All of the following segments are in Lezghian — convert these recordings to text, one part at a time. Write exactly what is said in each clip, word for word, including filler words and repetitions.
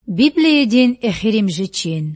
Библиядин эхиримжи чин.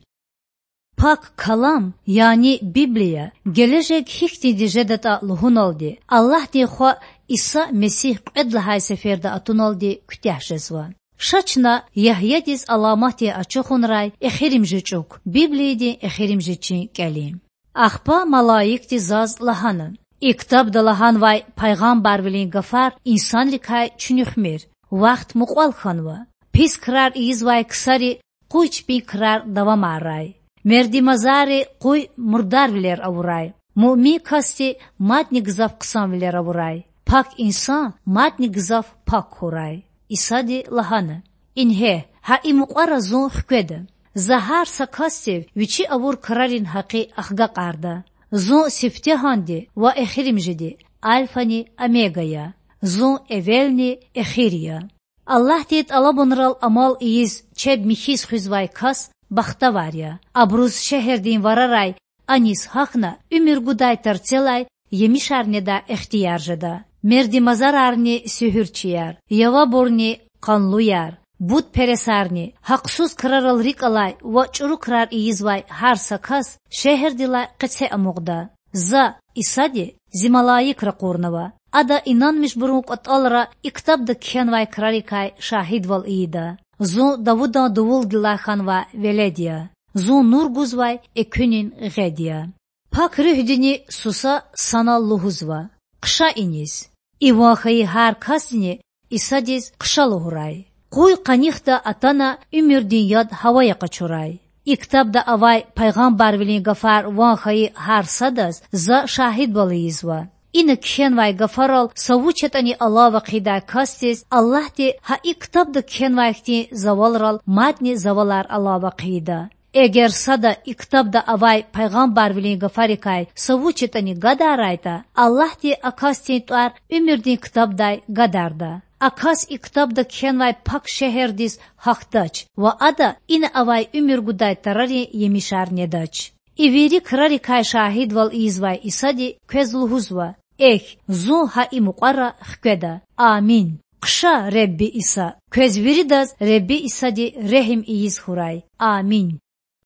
Пак Калам, яни Библия, гележег гьихьтинди жедатІа лугьуналди, Аллагьдин Хва Иса Месигь кьвед лагьай сеферда атуналди куьтягь жезва. Ша чна Ягьядиз аламатдин ачухунрай эхиримжи чІук, Библиядин эхиримжи чин кІелин. Ахпа малаикди заз лагьана: И ктабда лагьанвай пайгъамбарвилин гафар инсанрикай чуьнуьхмир. Вахт мукьвал хьанва. Пис крар ийизвай ксари къуй чпин крар давамаррай. Мердимазарри къуй мурдарвилер авурай. Муъмин касди мадни гзаф хъсанвилер авурай. Пак инсан мадни гзаф пак хьурай. Исади лагьана: Ингье, гьа и мукьвара Зун хкведа. За гьар са касдив вичи авур крарин гьакъи ахгакьарда. Зун сифтегьанди ва эхиримжиди, Альфани Омега я. Зун эвелни эхир я. Аллагьдин тІалабунрал амал ийиз чеб михьиз хуьзвай кас бахтавар я. Абуруз шегьердин варарай аниз гьахьна уьмуьр гудай тарцелай емишар недай ихтияр жеда. Мердимазарарни суьгьуьрчияр, явабурни къанлуяр, бутпересарни, гьахъсуз крарал рикІ алай ва чІуру крар ийизвай гьар са кас шегьердилай къеце амукьда. За, Исади, Зи малаик ракъурнава. Ада инанмишбурун кІватІалра и ктабда кхьенвай крарикай шагьидвал ийида. Зун Давудан дувулдилай хьанвай Велед я. Зун нур гузвай экуьнин гъед я. Пак Руьгьдини суса санал лугьузва: Хъша иниз. И ван хьайи гьар касдини Исадиз хъша лугьурай. Къуй къанихда атана уьмуьрдин яд гьавая къачурай. И ктабда авай пайгъамбарвилин гафар ван хьайи гьар садаз За шагьидвал ийизва. Ина кхьенвай гафарал са вуч ятІани алава хъийидай касдиз Аллагьди гьа и ктабда кхьенвай хьтин завалрал мадни завалар алава хъийида. Эгер сада и ктабда авай пайгъамбарвилин гафарикай са вуч ятІани гадарайтІа, Аллагьди а касдин тІвар уьмуьрдин ктабдай гадарда. А кас и ктабда кхьенвай пак шегьердиз гьахьдач ва ада ина авай уьмуьр гудай тарарин емишар недач. И вири крарикай шагьидвал ийизвай Исади квез лугьузва: Эхь, Зун гьа и мукьвара хкведа. Амин. Хъша, Худа Иса. Квез виридаз Худа Исади регьим ийиз хьурай. Амин.